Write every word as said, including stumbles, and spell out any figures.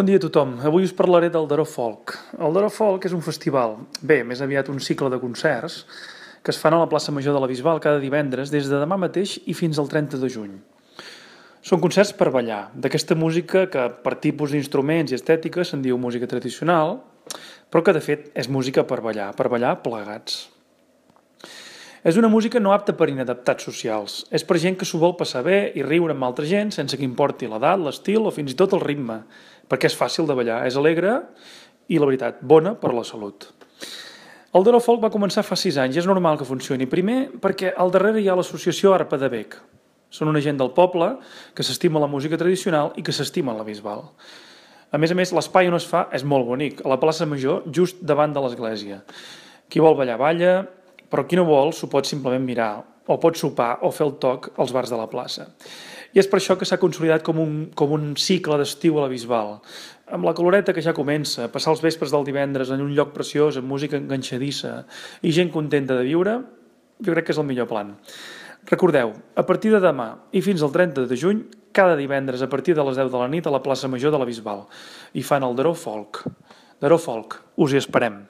Bon dia a tothom. Avui us parlaré del Daró Folk. El Daró Folk és un festival, bé, més aviat un cicle de concerts, que es fan a la plaça Major de la Bisbal cada divendres des de demà mateix i fins al trenta de juny. Són concerts per ballar, d'aquesta música que per tipus d'instruments i estètica se'n diu música tradicional, però que de fet és música per ballar, per ballar plegats. És una música no apta per inadaptats socials. És per gent que s'ho vol passar bé i riure amb altra gent sense que importi l'edat, l'estil o fins i tot el ritme, perquè és fàcil de ballar, és alegre i, la veritat, bona per la salut. El Daró Folk va començar fa sis anys i és normal que funcioni. Primer, perquè al darrere hi ha l'associació Arpa de Bec. Són una gent del poble que s'estima la música tradicional i que s'estima la Bisbal. A més a més, l'espai on es fa és molt bonic, a la plaça Major, just davant de l'església. Qui vol ballar, balla, però qui no vol s'ho pot simplement mirar, o pot sopar o fer el toc als bars de la plaça. I és per això que s'ha consolidat com un, com un cicle d'estiu a la Bisbal, amb la caloreta que ja comença, passar els vespres del divendres en un lloc preciós, amb música enganxadissa i gent contenta de viure, jo crec que és el millor plan. Recordeu, a partir de demà i fins al trenta de juny, cada divendres a partir de les deu de la nit a la plaça Major de la Bisbal, i fan el Daró Folk. Daró Folk, us hi esperem.